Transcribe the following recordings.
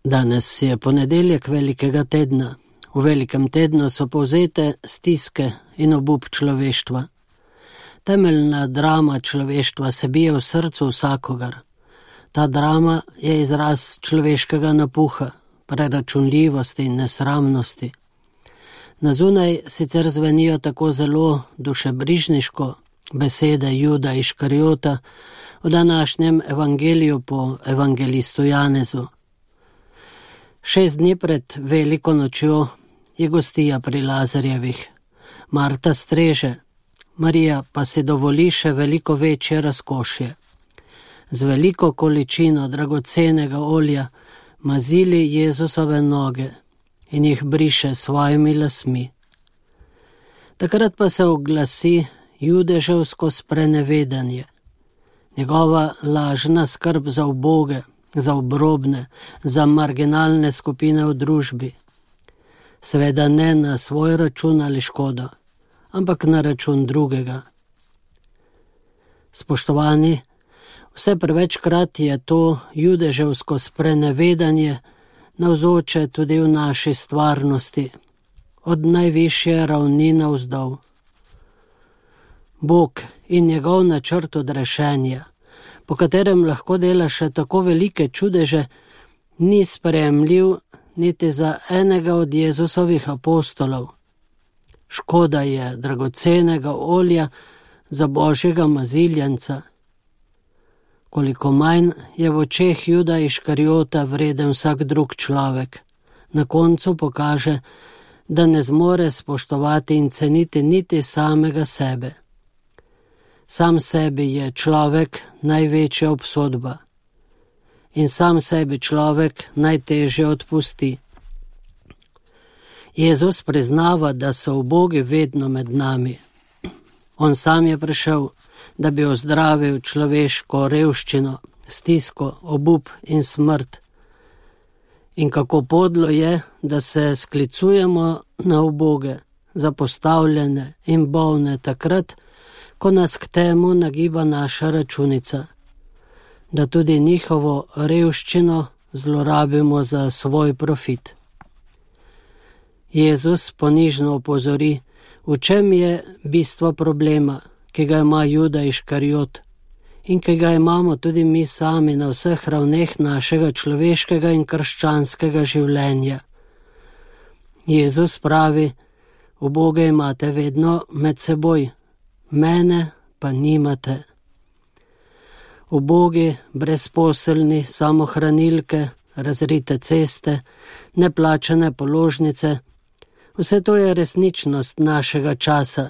Danes je ponedeljek velikega tedna. V velikem tednu so povzete stiske in obup človeštva. Temeljna drama človeštva se bije v srcu vsakogar. Ta drama je izraz človeškega napuha, preračunljivosti in nesramnosti. Na zunaj sicer zvenijo tako zelo dušebrižniško besede Juda Iškariota v današnjem evangeliju po evangelistu Janezu. 6 dni pred veliko nočjo je gostija pri Lazarjevih. Marta streže, Marija pa si dovoli še veliko večje razkošje. Z veliko količino dragocenega olja mazili Jezusove noge in jih briše s svojimi lasmi. Takrat pa se oglasi judeževsko sprenevedanje. Njegova lažna skrb za uboge, za obrobne, za marginalne skupine v družbi. Seveda ne na svoj račun ali škodo, ampak na račun drugega. Spoštovani, vse prevečkrat je to judeževsko sprenevedanje navzoče tudi v naši stvarnosti, od najvišje ravni navzdol. Bog in njegov načrt odrešenja, po katerem lahko dela še tako velike čudeže, ni sprejemljiv niti za enega od Jezusovih apostolov. Škoda je dragocenega olja za Božjega maziljenca. Koliko manj je v očeh Juda Iškariota vreden vsak drug človek, na koncu pokaže, da ne zmore spoštovati in ceniti niti samega sebe. Sam sebi je človek največja obsodba in sam sebi človek najtežje odpusti. Jezus priznava, da so ubogi vedno med nami. On sam je prišel, da bi ozdravil človeško revščino, stisko, obup in smrt. In kako podlo je, da se sklicujemo na uboge, zapostavljene in bolne takrat, ko nas k temu nagiba naša računica, da tudi njihovo revščino zlorabimo za svoj profit. Jezus ponižno opozori, v čem je bistvo problema, ki ga ima Juda Iškariot in ki ga imamo tudi mi sami na vseh ravneh našega človeškega in krščanskega življenja. Jezus pravi, uboge imate vedno med seboj, mene pa nimate. Ubogi, brezposelni, samohranilke, razrite ceste, neplačane položnice, vse to je resničnost našega časa.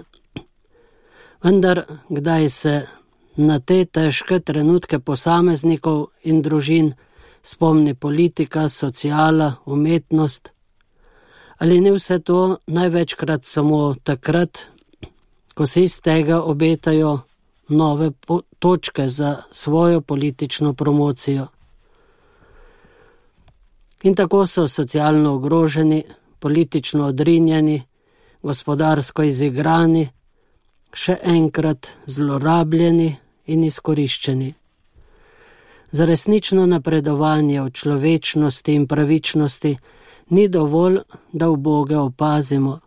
Vendar kdaj se na te težke trenutke posameznikov in družin spomni politika, sociala, umetnost? Ali ni vse to največkrat samo takrat, ko se iz tega obetajo nove točke za svojo politično promocijo? In tako so socialno ogroženi, politično odrinjeni, gospodarsko izigrani, še enkrat zlorabljeni in izkoriščeni. Za resnično napredovanje v človečnosti in pravičnosti ni dovolj, da uboge opazimo.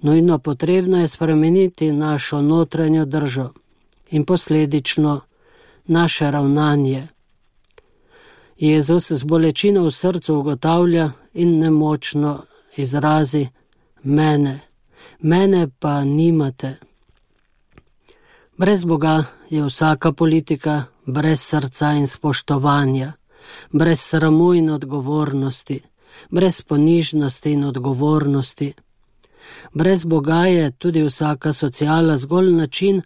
Nujno potrebno je spremeniti našo notranjo držo in posledično naše ravnanje. Jezus z bolečino v srcu ugotavlja in nemočno izrazi: mene pa nimate. Brez Boga je vsaka politika brez srca in spoštovanja, brez sramu in odgovornosti, brez ponižnosti in odgovornosti. Brez Boga je tudi vsaka sociala zgolj način,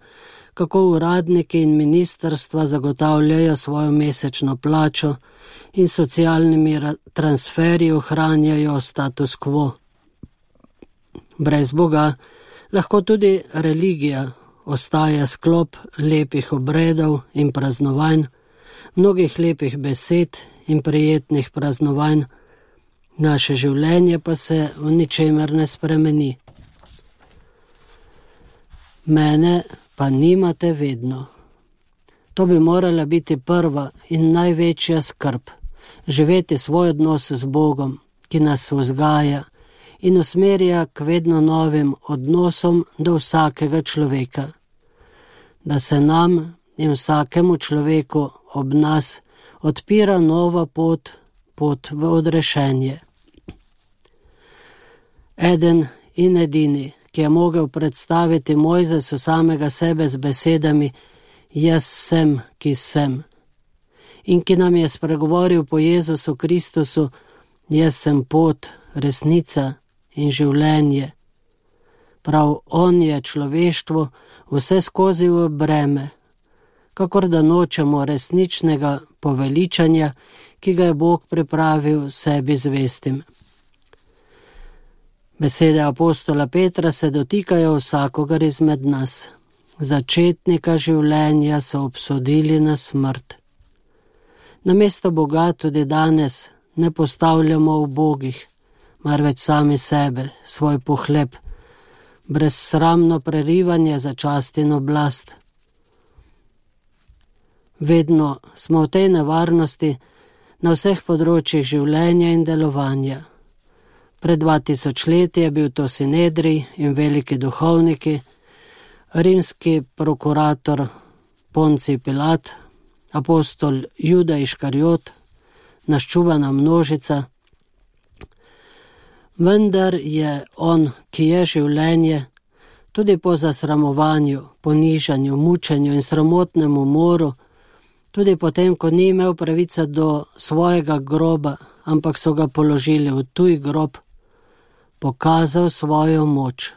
kako uradniki in ministrstva zagotavljajo svojo mesečno plačo in socialnimi transferji ohranjajo status quo. Brez Boga lahko tudi religija ostaja sklop lepih obredov in praznovanj, mnogih lepih besed in prijetnih praznovanj, naše življenje pa se v ničemer ne spremeni. Mene pa nimate vedno. To bi morala biti prva in največja skrb, živeti svoj odnos z Bogom, ki nas vzgaja in usmerja k vedno novim odnosom do vsakega človeka, da se nam in vsakemu človeku ob nas odpira nova pot v odrešenje. Eden in edini, ki je mogel predstaviti Mojzesu samega sebe z besedami jaz sem, ki sem, in ki nam je spregovoril po Jezusu Kristusu, jaz sem pot, resnica in življenje. Prav on je človeštvo vse skozi v breme, kakor da nočemo resničnega poveličanja, ki ga je Bog pripravil sebi zvestim. Besede apostola Petra se dotikajo vsakogar izmed nas. Začetnika življenja so obsodili na smrt. Namesto Boga tudi danes ne postavljamo ubogih, marveč sami sebe, svoj pohleb, brezsramno prerivanje za čast in oblast. Vedno smo v tej nevarnosti na vseh področjih življenja in delovanja. Pred 2000 leti je bil to Sinedrij in veliki duhovniki, rimski prokurator Poncij Pilat, apostol Juda Iškariot, naščuvana množica. Vendar je on, ki je življenje, tudi po zasramovanju, ponižanju, mučenju in sramotnem umoru, tudi potem, ko ni imel pravice do svojega groba, ampak so ga položili v tuj grob, pokazal svojo moč,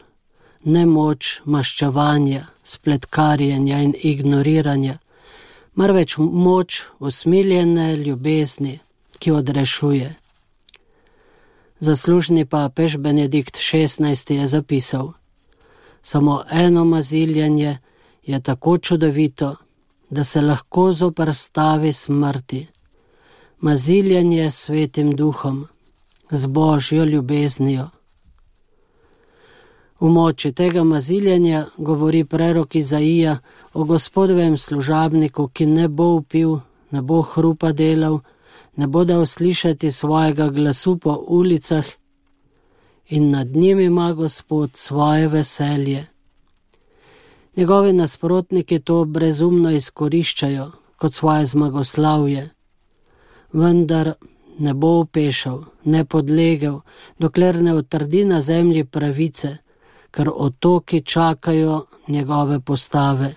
ne moč maščevanja, spletkarjenja in ignoriranja, marveč moč usmiljene ljubezni, ki odrešuje. Zaslužni papež Benedikt XVI je zapisal: samo eno maziljanje je tako čudovito, da se lahko zoperstavi smrti. Maziljanje s Svetim Duhom, z Božjo ljubeznijo. V moči tega maziljanja govori prerok Izaija o Gospodovem služabniku, ki ne bo vpil, ne bo hrupa delal, ne bo dal slišati svojega glasu po ulicah in nad njim ima Gospod svoje veselje. Njegovi nasprotniki to brezumno izkoriščajo kot svoje zmagoslavje, vendar ne bo upešal, ne podlegel, dokler ne utrdi na zemlji pravice, ker otoki čakajo njegove postave.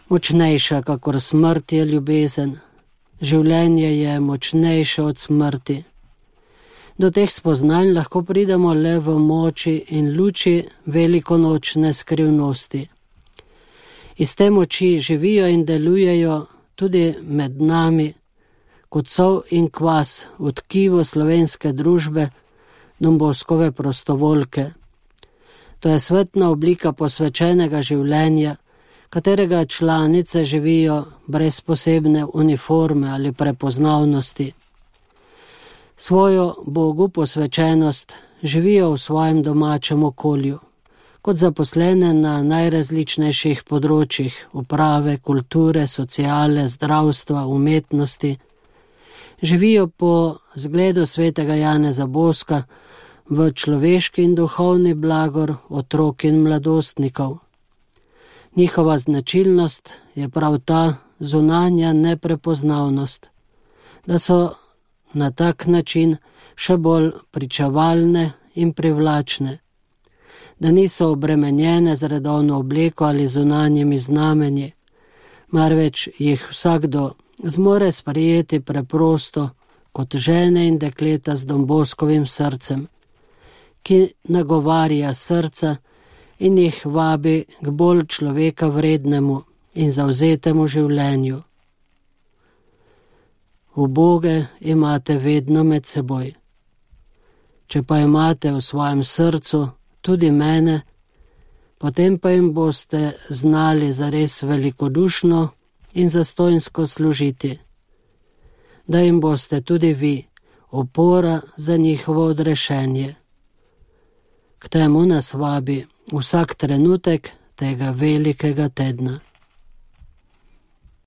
Močnejša kakor smrt je ljubezen, življenje je močnejše od smrti. Do teh spoznanj lahko pridemo le v moči in luči velikonočne skrivnosti. Iz te moči živijo in delujejo tudi med nami, kot sol in kvas v tkivu slovenske družbe, Domboskove prostovoljke. To je svetna oblika posvečenega življenja, katerega članice živijo brez posebne uniforme ali prepoznavnosti. Svojo Bogu posvečenost živijo v svojem domačem okolju, kot zaposlene na najrazličnejših področjih uprave, kulture, sociale, zdravstva, umetnosti. Živijo po zgledu svetega Janeza Boska v človeški in duhovni blagor otrok in mladostnikov. Njihova značilnost je prav ta zunanja neprepoznavnost, da so na tak način še bolj pričevalne in privlačne, da niso obremenjene z redovno obleko ali zunanjimi znamenji, marveč jih vsakdo zmore sprejeti preprosto kot žene in dekleta z Domboskovim srcem, ki nagovarja srca in jih vabi k bolj človeka vrednemu in zavzetemu življenju. Uboge imate vedno med seboj. Če pa imate v svojem srcu tudi mene, potem pa jim boste znali zares velikodušno in zastojnsko služiti, da jim boste tudi vi opora za njihovo odrešenje. K temu nas vabi vsak trenutek tega velikega tedna.